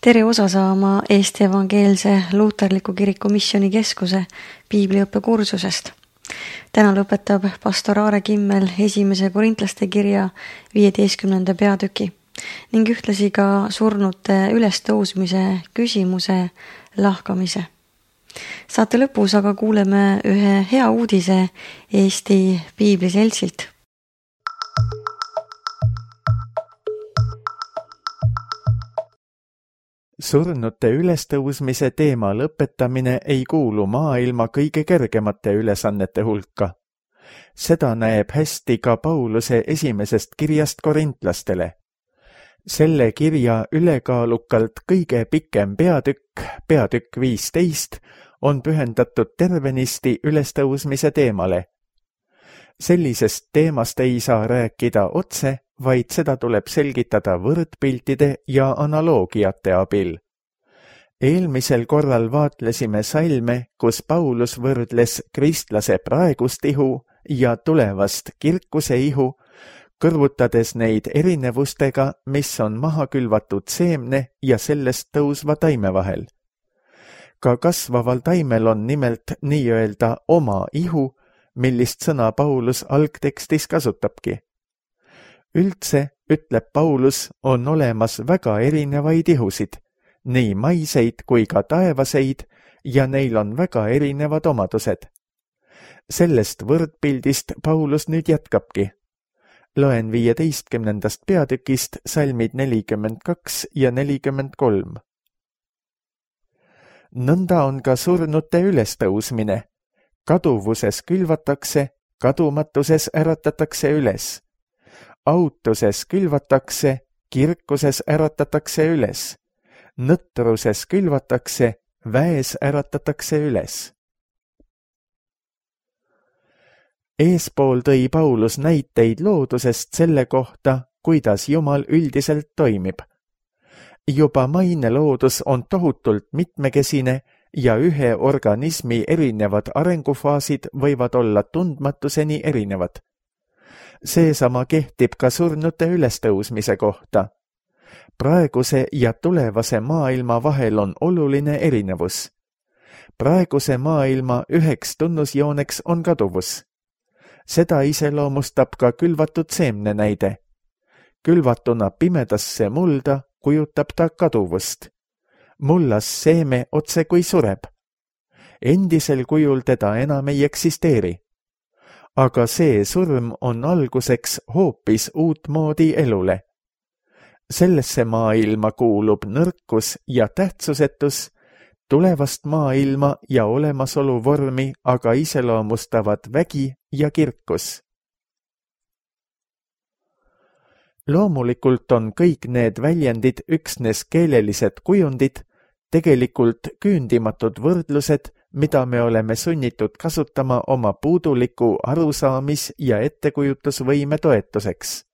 Tere osa saama Eesti Evangeelse Luuterliku Kiriku Missioonikeskuse piibliõppekursusest. Täna lõpetab pastor Aare Kimmel 1. Korintlaste kirja 15. peatüki ning ühtlasi ka surnute ülestõusmise küsimuse lahkamise. Saate lõpus aga kuuleme ühe hea uudise Eesti Piibliseltsilt. Surnute ülestõusmise teema lõpetamine ei kuulu maailma kõige kergemate ülesannete hulka. Seda näeb hästi ka Pauluse esimesest kirjast korintlastele. Selle kirja ülekaalukalt kõige pikem peatükk 15, on pühendatud tervenisti ülestõusmise teemale. Sellisest teemast ei saa rääkida otse, vaid seda tuleb selgitada võrdpiltide ja analoogiate abil. Eelmisel korral vaatlesime salme, kus Paulus võrdles kristlase praegust ihu ja tulevast kirkuse ihu, kõrvutades neid erinevustega, mis on maha külvatud seemne ja sellest tõusva taime vahel. Ka kasvaval taimel on nimelt nii-öelda oma ihu, millist sõna Paulus algtekstis kasutabki. Üldse, ütleb Paulus, on olemas väga erinevaid ihusid, nii maiseid kui ka taevaseid, ja neil on väga erinevad omadused. Sellest võrdpildist Paulus nüüd jätkabki. Loen 15. peatükist salmid 42 ja 43. Nõnda on ka surnute ülestõusmine. Kaduvuses külvatakse, kadumatuses äratatakse üles. Autuses külvatakse, kirkuses äratatakse üles. Nõtruses külvatakse, väes äratatakse üles. Eespool tõi Paulus näiteid loodusest selle kohta, kuidas Jumal üldiselt toimib. Juba maine loodus on tohutult mitmekesine ja ühe organismi erinevad arengufaasid võivad olla tundmatuseni erinevad. Seesama kehtib ka surnute ülestõusmise kohta. Praeguse ja tulevase maailma vahel on oluline erinevus. Praeguse maailma üheks tunnusjooneks on kaduvus. Seda iseloomustab ka külvatud seemne näide. Külvatuna pimedasse mulda kujutab ta kaduvust. Mullas seeme otse kui sureb. Endisel kujul teda enam ei eksisteeri. Aga see surm on alguseks hoopis uutmoodi elule. Sellesse maailma kuulub nõrkus ja tähtsusetus, tulevast maailma ja olemasolu vormi aga iseloomustavad vägi ja kirkus. Loomulikult on kõik need väljendid üksnes keelelised kujundid, tegelikult küündimatud võrdlused, mida me oleme sunnitud kasutama oma puuduliku arusaamis- ja ettekujutusvõime toetuseks.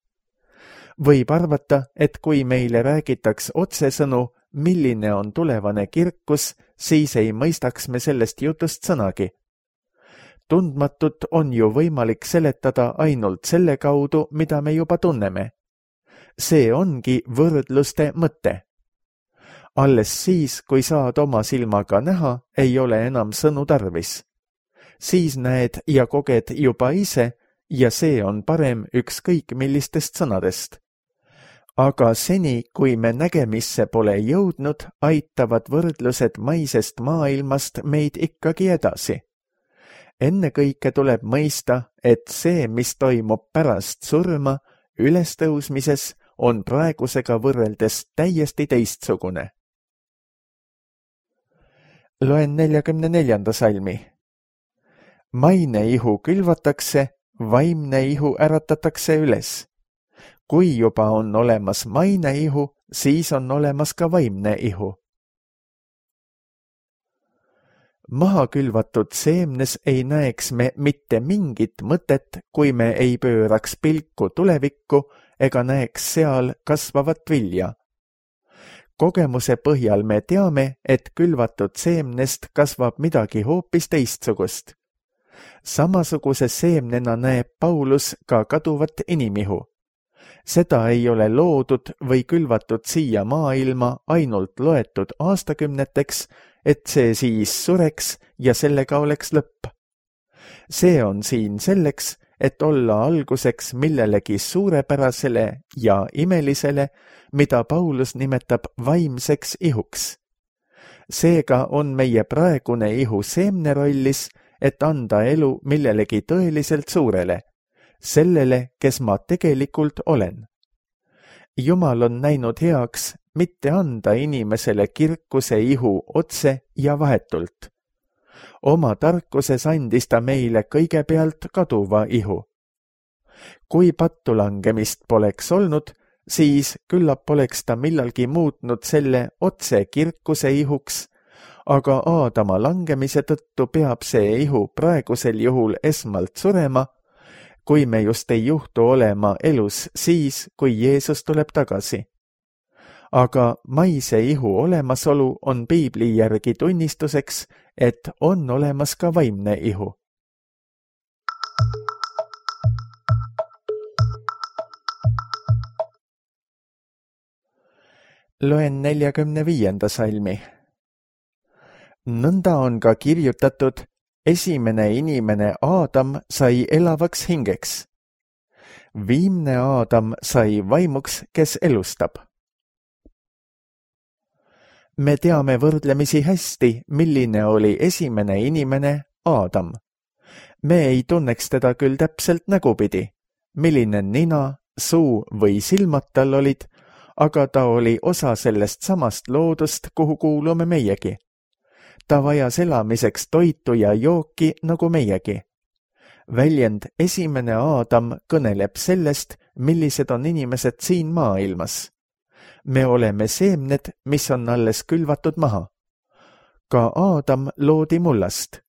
Võib arvata, et kui meile räägitaks otsesõnu, milline on tulevane kirkus, siis ei mõistaks me sellest jutust sõnagi. Tundmatut on ju võimalik seletada ainult selle kaudu, mida me juba tunneme. See ongi võrdluste mõte. Alles siis, kui saad oma silmaga näha, ei ole enam sõnu tarvis. Siis näed ja koged juba ise ja see on parem ükskõik millistest sõnadest. Aga seni, kui me nägemisse pole jõudnud, aitavad võrdlused maisest maailmast meid ikkagi edasi. Ennekõike tuleb mõista, et see, mis toimub pärast surma, ülestõusmises, on praegusega võrreldes täiesti teistsugune. Loen 44. salmi. Maine ihu külvatakse, vaimne ihu äratatakse üles. Kui juba on olemas maine ihu, siis on olemas ka vaimne ihu. Maha külvatud seemnes ei näeks me mitte mingit mõtet, kui me ei pööraks pilku tulevikku ega näeks seal kasvavat vilja. Kogemuse põhjal me teame, et külvatud seemnest kasvab midagi hoopis teistsugust. Samasuguse seemnena näeb Paulus ka kaduvat inimihu. Seda ei ole loodud või külvatud siia maailma ainult loetud aastakümneteks, et see siis sureks ja sellega oleks lõpp. See on siin selleks, et olla alguseks millelegi suurepärasele ja imelisele, mida Paulus nimetab vaimseks ihuks. Seega on meie praegune ihu seemne rollis, et anda elu millelegi tõeliselt suurele, sellele, kes ma tegelikult olen. Jumal on näinud heaks mitte anda inimesele kirkuse ihu otse ja vahetult. Oma tarkuses andis ta meile kõigepealt kaduva ihu. Kui pattulangemist poleks olnud, siis küllap poleks ta millalgi muutnud selle otse kirkuse ihuks, aga Aadama langemise tõttu peab see ihu praegusel juhul esmalt surema, kui me just ei juhtu olema elus siis, kui Jeesus tuleb tagasi. Aga maise ihu olemasolu on piibli järgi tunnistuseks, et on olemas ka vaimne ihu. Loen 45. salmi. Nõnda on ka kirjutatud, esimene inimene Aadam sai elavaks hingeks. Viimne Aadam sai vaimuks, kes elustab. Me teame võrdlemisi hästi, milline oli esimene inimene Aadam. Me ei tunneks teda küll täpselt nägupidi, milline nina, suu või silmad tal olid, aga ta oli osa sellest samast loodust, kuhu kuulume meiegi. Ta vajas elamiseks toitu ja jooki nagu meiegi. Väljend esimene Aadam kõneleb sellest, millised on inimesed siin maailmas. Me oleme seemned, mis on alles külvatud maha. Ka Aadam loodi mullast.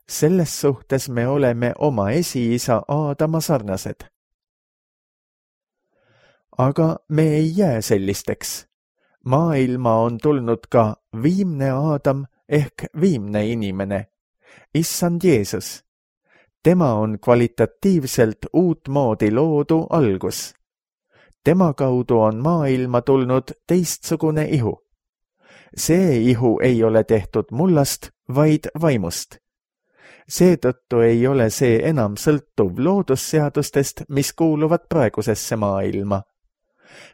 Selles suhtes me oleme oma esiisa Aadama sarnased. Aga me ei jää sellisteks. Maailma on tulnud ka viimne Aadam ehk viimne inimene, issand Jeesus. Tema on kvalitatiivselt uutmoodi loodu algus. Tema kaudu on maailma tulnud teistsugune ihu. See ihu ei ole tehtud mullast, vaid vaimust. Seetõttu ei ole see enam sõltuv loodusseadustest, mis kuuluvad praegusesse maailma.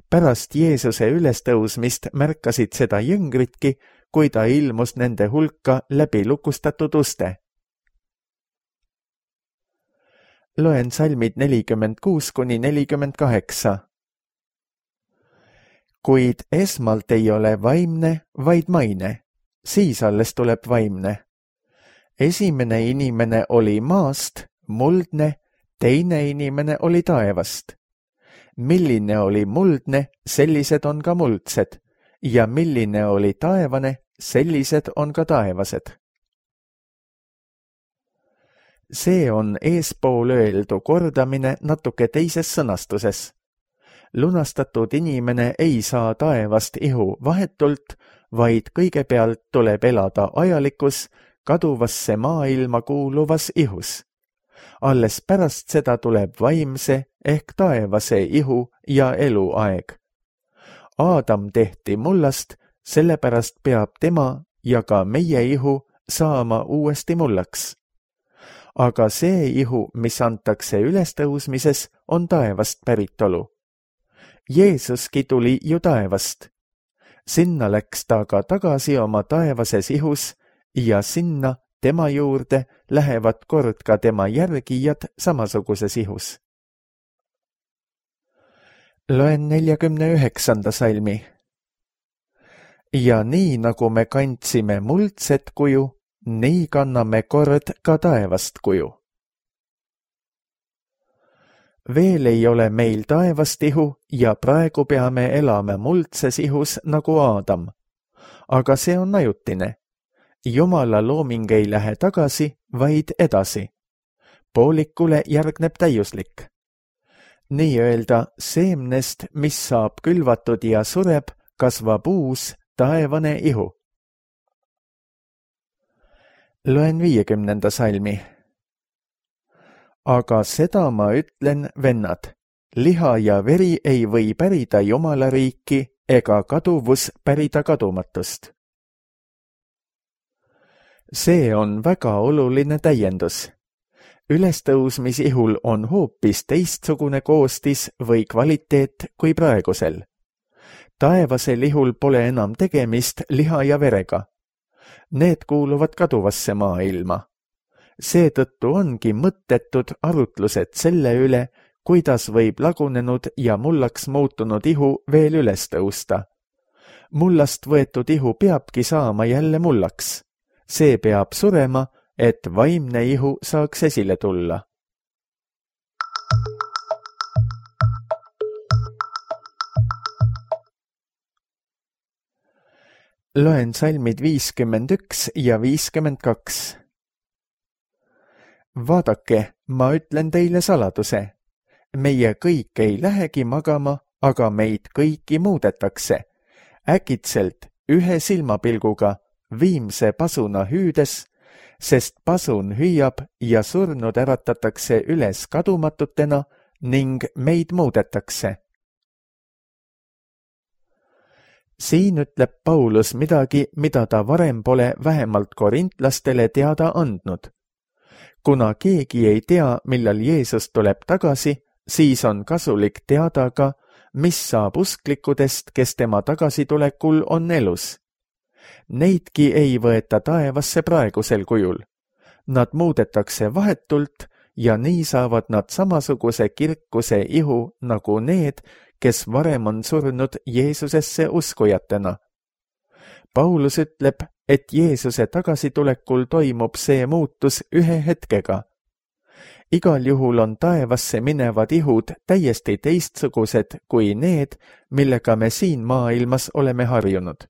Pärast Jeesuse ülestõusmist märkasid seda jüngritki, kui ta ilmus nende hulka läbi lukustatud uste. Loen salmid 46–48. Kuid esmalt ei ole vaimne, vaid maine, siis alles tuleb vaimne. Esimene inimene oli maast, muldne, teine inimene oli taevast. Milline oli muldne, sellised on ka muldsed, ja milline oli taevane, sellised on ka taevased. See on eespool öeldu kordamine natuke teises sõnastuses. Lunastatud inimene ei saa taevast ihu vahetult, vaid kõigepealt tuleb elada ajalikus, kaduvasse maailma kuuluvas ihus. Alles pärast seda tuleb vaimse ehk taevase ihu ja eluaeg. Aadam tehti mullast, sellepärast peab tema ja ka meie ihu saama uuesti mullaks. Aga see ihu, mis antakse ülestõusmises, on taevast päritolu. Jeesuski tuli ju taevast. Sinna läks ta ka tagasi oma taevases ihus ja sinna tema juurde lähevad kord ka tema järgijad samasuguses ihus. Loen 49. salmi. Ja nii nagu me kandsime muldset kuju, nii kanname kord ka taevast kuju. Veel ei ole meil taevast ihu ja praegu peame elama muldses ihus nagu Aadam. Aga see on ajutine. Jumala looming ei lähe tagasi, vaid edasi. Poolikule järgneb täiuslik. Nii-öelda seemnest, mis saab külvatud ja sureb, kasvab uus taevane ihu. Loen 50. salmi. Aga seda ma ütlen, vennad, liha ja veri ei või pärida Jumala riiki ega kaduvus pärida kadumatust. See on väga oluline täiendus. Ülestõusmisihul on hoopis teistsugune koostis või kvaliteet kui praegusel. Taevasel ihul pole enam tegemist liha ja verega. Need kuuluvad kaduvasse maailma. Seetõttu ongi mõttetud arutlused selle üle, kuidas võib lagunenud ja mullaks muutunud ihu veel üles tõusta. Mullast võetud ihu peabki saama jälle mullaks. See peab surema, et vaimne ihu saaks esile tulla. Loen salmid 51 ja 52. Vaadake, ma ütlen teile saladuse. Meie kõik ei lähegi magama, aga meid kõiki muudetakse. Äkitselt ühe silmapilguga, viimse pasuna hüüdes, sest pasun hüüab ja surnud äratatakse üles kadumatutena ning meid muudetakse. Siin ütleb Paulus midagi, mida ta varem pole vähemalt korintlastele teada andnud. Kuna keegi ei tea, millal Jeesus tuleb tagasi, siis on kasulik teada ka, mis saab usklikudest, kes tema tagasitulekul on elus. Neidki ei võeta taevasse praegusel kujul. Nad muudetakse vahetult ja nii saavad nad samasuguse kirkuse ihu nagu need, kes varem on surnud Jeesusesse uskujatena. Paulus ütleb, et Jeesuse tagasitulekul toimub see muutus ühe hetkega. Igal juhul on taevasse minevad ihud täiesti teistsugused kui need, millega me siin maailmas oleme harjunud.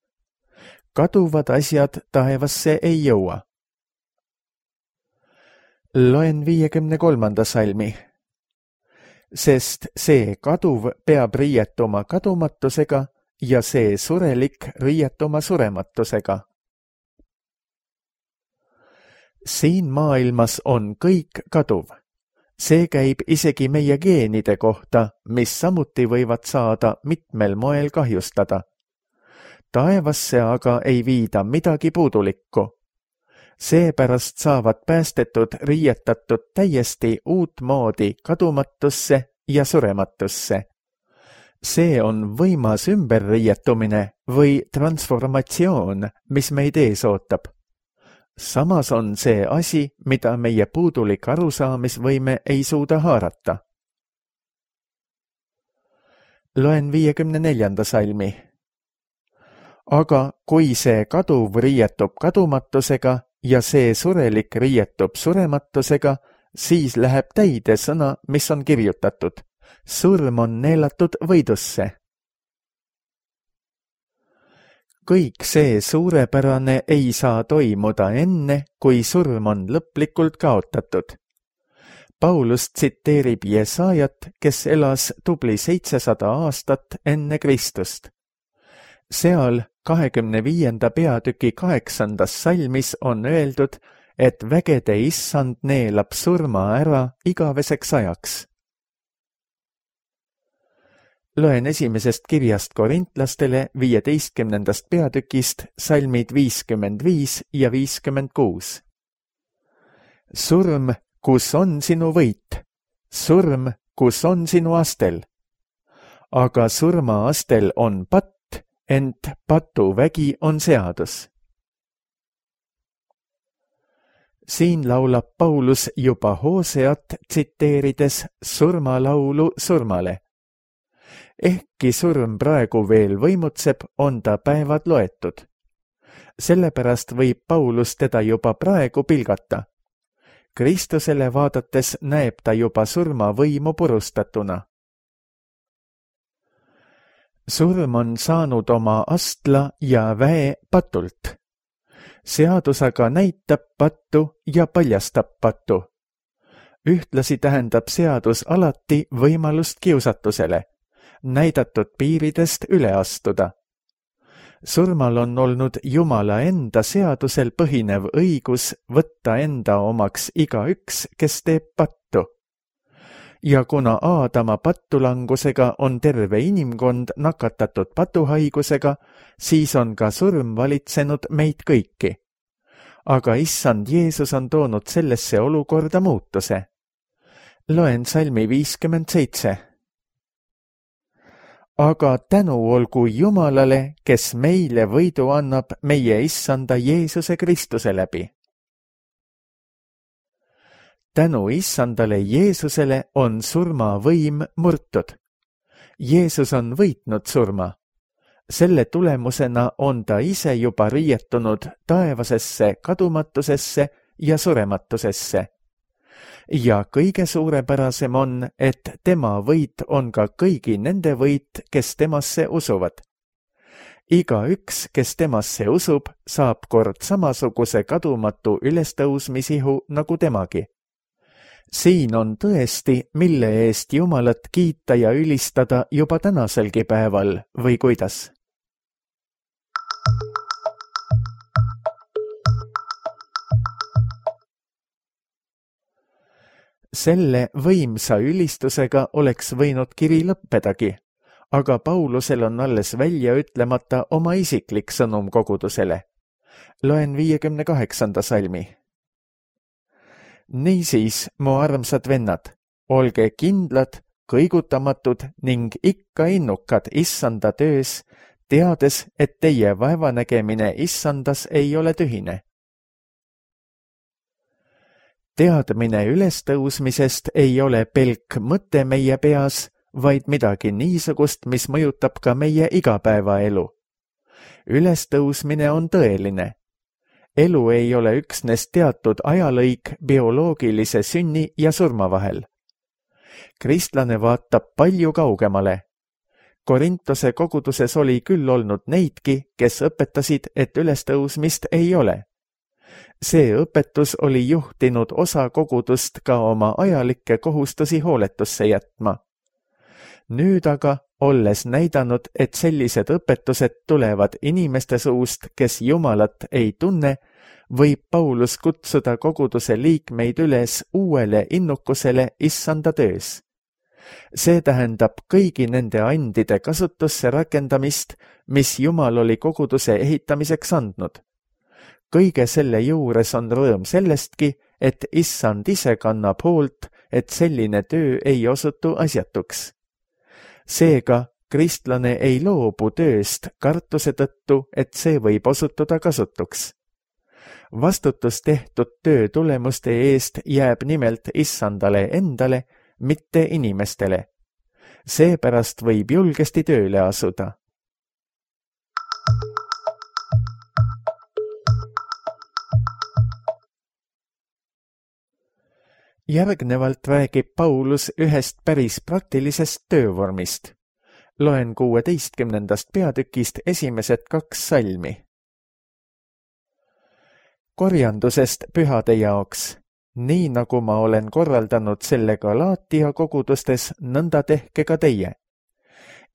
Kaduvad asjad taevasse ei jõua. Loen 53. salmi. Sest see kaduv peab riietuma kadumatusega ja see surelik riietuma surematusega. Siin maailmas on kõik kaduv. See käib isegi meie geenide kohta, mis samuti võivad saada mitmel moel kahjustada. Taevasse aga ei viida midagi puudulikku. Seepärast saavad päästetud riietatud täiesti uut moodi kadumatusse ja surematusse. See on võimas ümberriietumine või transformatsioon, mis meid ees ootab. Samas on see asi, mida meie puudulik arusaamisvõime ei suuda haarata. Loen 54. salmi. Aga kui see kaduv riietub kadumatusega ja see surelik riietub surematusega, siis läheb täide sõna, mis on kirjutatud. Surm on neelatud võidusse. Kõik see suurepärane ei saa toimuda enne, kui surm on lõplikult kaotatud. Paulus tsiteerib Jesaajat, kes elas tubli 700 aastat enne Kristust. Seal 25. peatüki 8. salmis on öeldud, et vägede issand neelab surma ära igaveseks ajaks. Loen esimesest kirjast korintlastele 15. peatükist salmid 55 ja 56. Surm, kus on sinu võit? Surm, kus on sinu astel? Aga surma astel on patt, ent patuvägi on seadus. Siin laulab Paulus juba Hooseat tsiteerides surmalaulu surmale. Ehkki surm praegu veel võimutseb, on ta päevad loetud. Sellepärast võib Paulus teda juba praegu pilgata. Kristusele vaadates näeb ta juba surma võimu purustatuna. Surm on saanud oma astla ja väe patult. Seadus aga näitab pattu ja paljastab pattu. Ühtlasi tähendab seadus alati võimalust kiusatusele, näidatud piiridest üle astuda. Surmal on olnud Jumala enda seadusel põhinev õigus võtta enda omaks igaüks, kes teeb pattu. ja kuna Aadama pattulangusega on terve inimkond nakatatud patuhaigusega, siis on ka surm valitsenud meid kõiki. Aga issand Jeesus on toonud sellesse olukorda muutuse. Loen salmi 57. Aga tänu olgu Jumalale, kes meile võidu annab meie issanda Jeesuse Kristuse läbi. Tänu issandale Jeesusele on surma võim murtud. Jeesus on võitnud surma. Selle tulemusena on ta ise juba riietunud taevasesse kadumatusesse ja surematusesse. Ja kõige suurepärasem on, et tema võit on ka kõigi nende võit, kes temasse usuvad. Igaüks, kes temasse usub, saab kord samasuguse kadumatu ülestõusmisihu nagu temagi. Siin on tõesti, mille eest Jumalat kiita ja ülistada juba tänaselgi päeval, või kuidas? Selle võimsa ülistusega oleks võinud kiri lõppedagi, aga Paulusel on alles välja ütlemata oma isiklik sõnum kogudusele. Loen 58. salmi. Niisiis, mu armsad vennad, olge kindlad, kõigutamatud ning ikka innukad issanda töös, teades, et teie vaevanägemine issandas ei ole tühine. Teadmine ülestõusmisest ei ole pelk mõte meie peas, vaid midagi niisugust, mis mõjutab ka meie igapäevaelu. Ülestõusmine on tõeline. Elu ei ole üksnes teatud ajalõik bioloogilise sünni ja surma vahel. Kristlane vaatab palju kaugemale. Korintuse koguduses oli küll olnud neidki, kes õpetasid, et ülestõusmist ei ole. See õpetus oli juhtinud osa kogudust ka oma ajalikke kohustusi hooletusse jätma. Nüüd aga, olles näidanud, et sellised õpetused tulevad inimeste suust, kes Jumalat ei tunne, võib Paulus kutsuda koguduse liikmeid üles uuele innukusele issanda töös. See tähendab kõigi nende andide kasutusse rakendamist, mis Jumal oli koguduse ehitamiseks andnud. Kõige selle juures on rõõm sellestki, et issand ise kannab hoolt, et selline töö ei osutu asjatuks. Seega, kristlane ei loobu tööst kartuse tõttu, et see võib osutuda kasutuks. Vastutus tehtud töö tulemuste eest jääb nimelt issandale endale, mitte inimestele. Seepärast võib julgesti tööle asuda. Järgnevalt räägib Paulus ühest päris praktilisest töövormist. Loen 16. peatükist esimesed 2 salmi. Korjandusest pühade jaoks. Nii nagu ma olen korraldanud selle Galaatia kogudustes, nõnda tehke ka teie.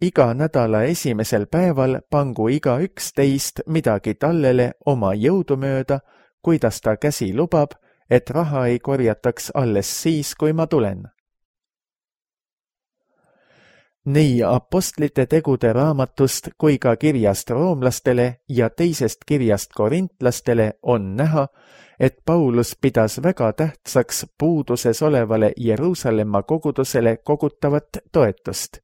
Iga nädala esimesel päeval pangu igaüks teist midagi tallele oma jõudu mööda, kuidas ta käsi lubab, et raha ei korjataks alles siis, kui ma tulen. Nii apostlite tegude raamatust kui ka kirjast roomlastele ja teisest kirjast korintlastele on näha, et Paulus pidas väga tähtsaks puuduses olevale Jeruusalemma kogudusele kogutavat toetust.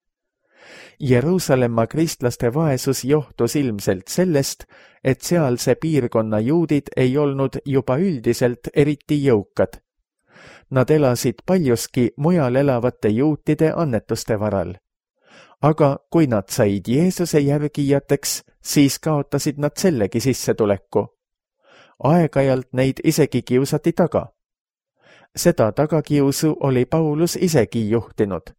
Jeruusalemma kristlaste vaesus johtus ilmselt sellest, et sealse piirkonna juudid ei olnud juba üldiselt eriti jõukad. Nad elasid paljuski mujal elavate juutide annetuste varal. Aga kui nad said Jeesuse järgijateks, siis kaotasid nad sellegi sissetuleku. Aeg-ajalt neid isegi kiusati taga. Seda tagakiusu oli Paulus isegi juhtinud.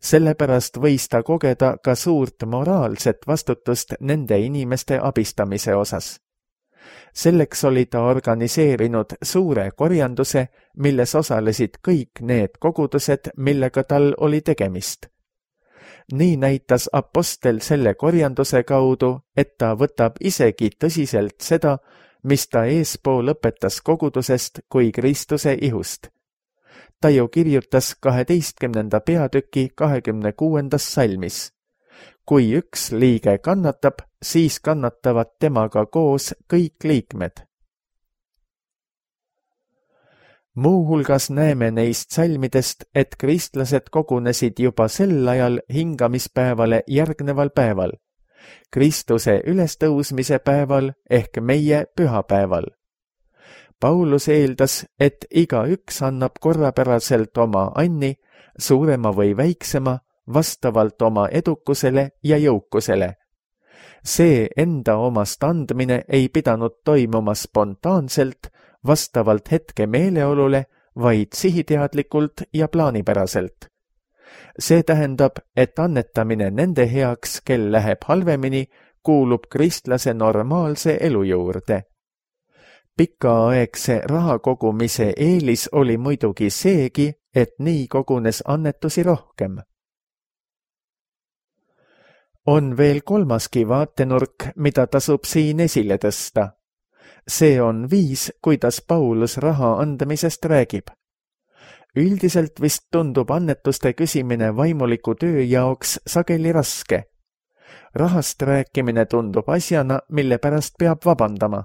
Sellepärast võis ta kogeda ka suurt moraalset vastutust nende inimeste abistamise osas. Selleks oli ta organiseerinud suure korjanduse, milles osalesid kõik need kogudused, millega tal oli tegemist. Nii näitas apostel selle korjanduse kaudu, et ta võtab isegi tõsiselt seda, mis ta eespool õpetas kogudusest kui Kristuse ihust. ta ju kirjutas 12. peatüki 26. salmis. Kui üks liige kannatab, siis kannatavad temaga koos kõik liikmed. Muuhulgas näeme neist salmidest, et kristlased kogunesid juba sel ajal hingamispäevale järgneval päeval, Kristuse ülestõusmise päeval ehk meie pühapäeval. Paulus eeldas, et igaüks annab korrapäraselt oma anni, suurema või väiksema, vastavalt oma edukusele ja jõukusele. See enda omast andmine ei pidanud toimuma spontaanselt, vastavalt hetke meeleolule, vaid sihiteadlikult ja plaanipäraselt. See tähendab, et annetamine nende heaks, kel läheb halvemini, kuulub kristlase normaalse elu juurde. Pikaaegse raha kogumise eelis oli muidugi seegi, et nii kogunes annetusi rohkem. On veel kolmaski vaatenurk, mida tasub siin esile tõsta. See on viis, kuidas Paulus raha andmisest räägib. Üldiselt vist tundub annetuste küsimine vaimuliku töö jaoks sageli raske. Rahast rääkimine tundub asjana, mille pärast peab vabandama.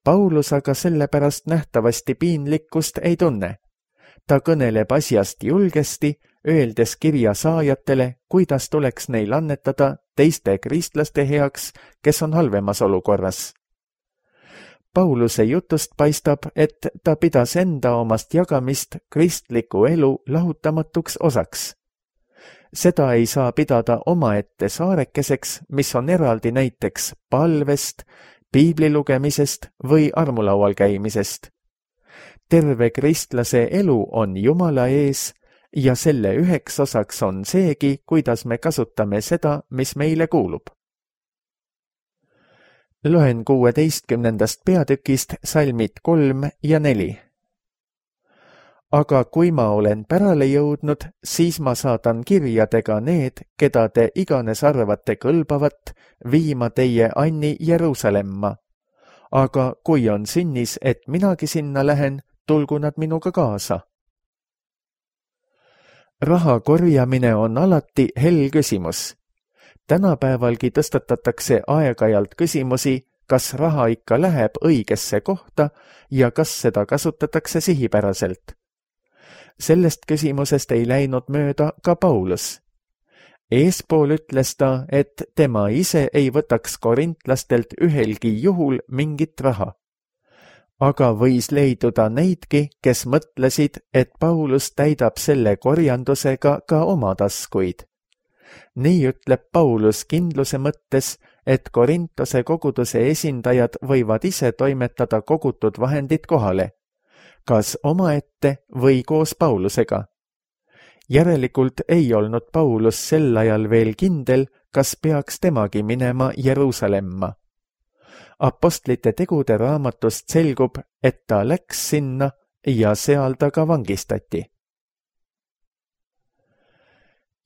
Paulus aga selle pärast nähtavasti piinlikkust ei tunne. Ta kõneleb asjast julgesti, öeldes kirja saajatele, kuidas tuleks neil annetada teiste kristlaste heaks, kes on halvemas olukorras. Pauluse jutust paistab, et ta pidas enda omast jagamist kristliku elu lahutamatuks osaks. Seda ei saa pidada omaette saarekeseks, mis on eraldi näiteks palvest, piibli lugemisest või armulaual käimisest. Terve kristlase elu on Jumala ees ja selle üheks osaks on seegi, kuidas me kasutame seda, mis meile kuulub. Loen 16. peatükist salmid 3 ja 4. Aga kui ma olen pärale jõudnud, siis ma saadan kirjadega need, keda te iganes arvate kõlbavat, viima teie anni Jeruusalemma. Aga kui on sünnis, et minagi sinna lähen, tulgu nad minuga kaasa. Raha korjamine on alati hell küsimus. Tänapäevalgi tõstatatakse aeg-ajalt küsimusi, kas raha ikka läheb õigesse kohta ja kas seda kasutatakse sihipäraselt. Sellest küsimusest ei läinud mööda ka Paulus. Eespool ütles ta, et tema ise ei võtaks korintlastelt ühelgi juhul mingit raha. Aga võis leiduda neidki, kes mõtlesid, et Paulus täidab selle korjandusega ka oma taskuid. Nii ütleb Paulus kindluse mõttes, et Korintose koguduse esindajad võivad ise toimetada kogutud vahendid kohale, kas omaette või koos Paulusega. Järelikult ei olnud Paulus sel ajal veel kindel, kas peaks temagi minema Jeruusalemma. Apostlite tegude raamatust selgub, et ta läks sinna ja seal ta ka vangistati.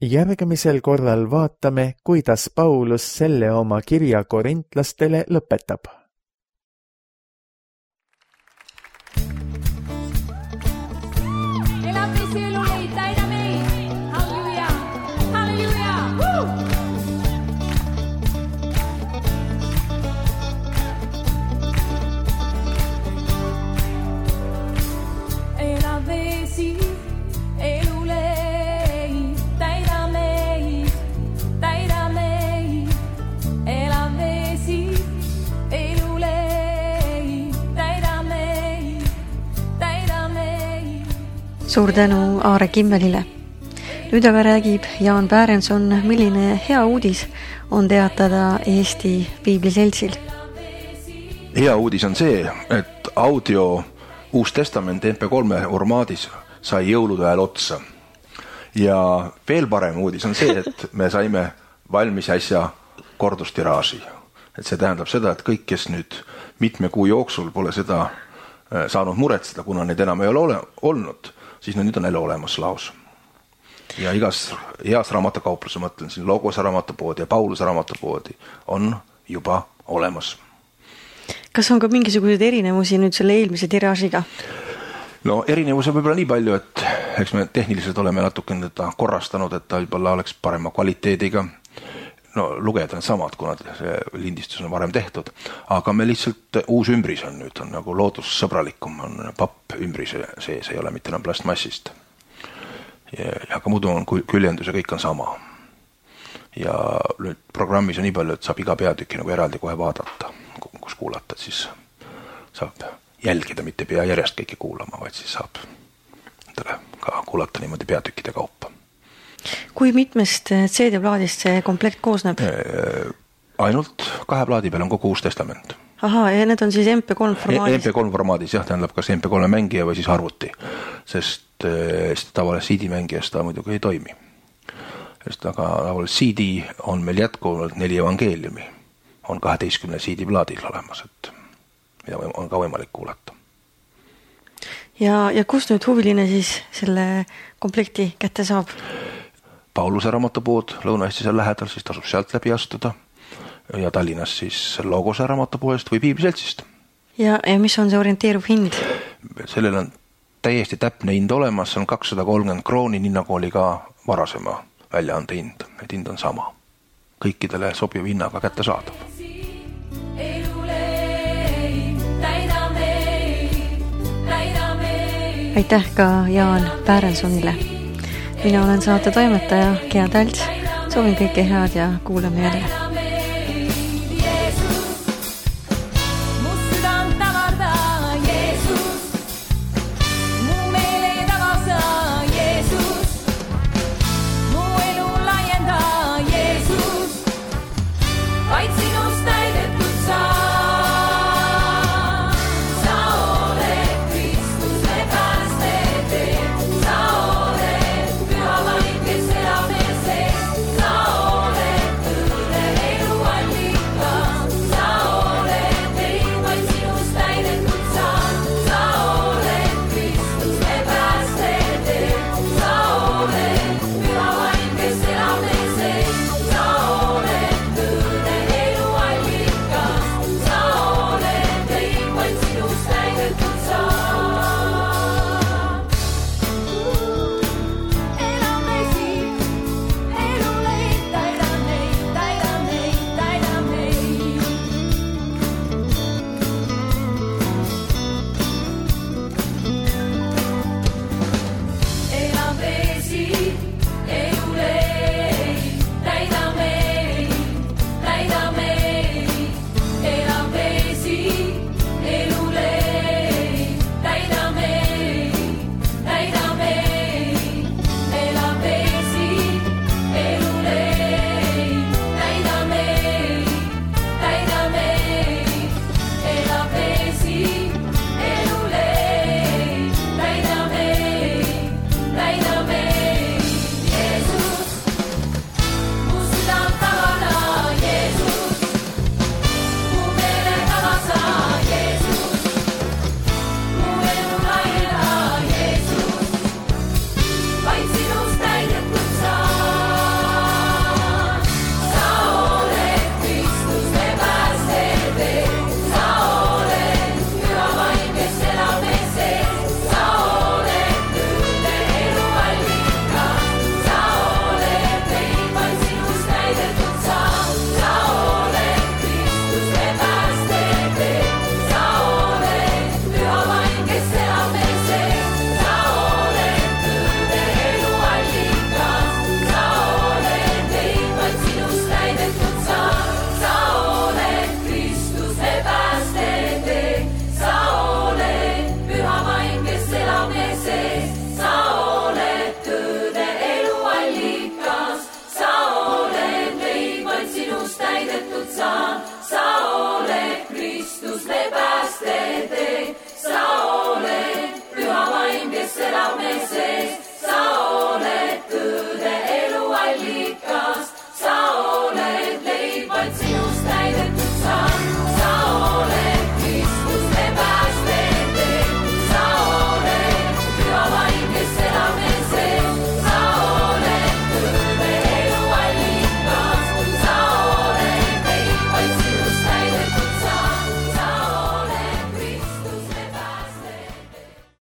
Järgmisel korral vaatame, kuidas Paulus selle oma kirja korintlastele lõpetab. Suur tänu Aare Kimmelile. Nüüd aga räägib Jaan Pärenson, milline hea uudis on teatada Eesti Piibliseltsil. Hea uudis on see, et audio Uus Testament MP3 formaadis sai jõulude ajal otsa. Ja veel parem uudis on see, et me saime valmis äsja kordustiraaži. Et see tähendab seda, et kõik, kes nüüd mitme kuu jooksul pole seda saanud muretseda, kuna need enam ei ole olnud, siis nüüd on jälle olemas laos. Ja igas heas raamatokaupluse, mõtlen siin Logos raamatupoodi ja Pauluse raamatupoodi, on juba olemas. Kas on ka mingisuguseid erinevusi nüüd selle eelmise tiraažiga? No erinevus on võib-olla nii palju, et eks me tehniliselt oleme natukene teda korrastanud, et ta võib-olla oleks parema kvaliteediga. No lugejad on samad, kuna see lindistus on varem tehtud, aga me lihtsalt uus ümbris on nüüd, on nagu loodussõbralikum, on papp ümbris sees, ei ole mitte enam plastmassist. Ja ka muidu on küljendus ja kõik on sama. Ja nüüd programmis on nii palju, et saab iga peatüki nagu eraldi kohe vaadata, kus kuulata, siis saab jälgida, mitte pea järjest kõike kuulama, vaid siis saab ka kuulata niimoodi peatükkide kaupa. Kui mitmest CD-plaadist see komplekt koosneb? Ainult 2 plaadi peal on kogu Uus Testament. Ahaa, ja need on siis MP3 formaadis? MP3 formaadis, jah, tähendab kas MP3 mängija või siis arvuti, sest tavalises CD-mängijas ta muidugi ei toimi. Sest aga tavalises CD on meil jätkuvalt 4 evangeeliumi, on 12 CD-plaadil olemas, et mida on ka võimalik kuulata. Ja kus nüüd huviline siis selle komplekti kätte saab? Pauluse raamatupood Lõuna-Eestis on lähedal, siis tasub sealt läbi astuda. Ja Tallinnas siis Logose raamatupoest või Piibliseltsist. Ja mis on see orienteeruv hind? Sellel on täiesti täpne hind olemas, see on 230 krooni, nii nagu oli ka varasema väljaande hind. Et hind on sama. Kõikidele sobiv hinnaga kätte saadab. Aitäh ka Jaan Päärensonile. Mina olen saate toimetaja Gea Talts. Soovin kõike head ja kuulame jälle.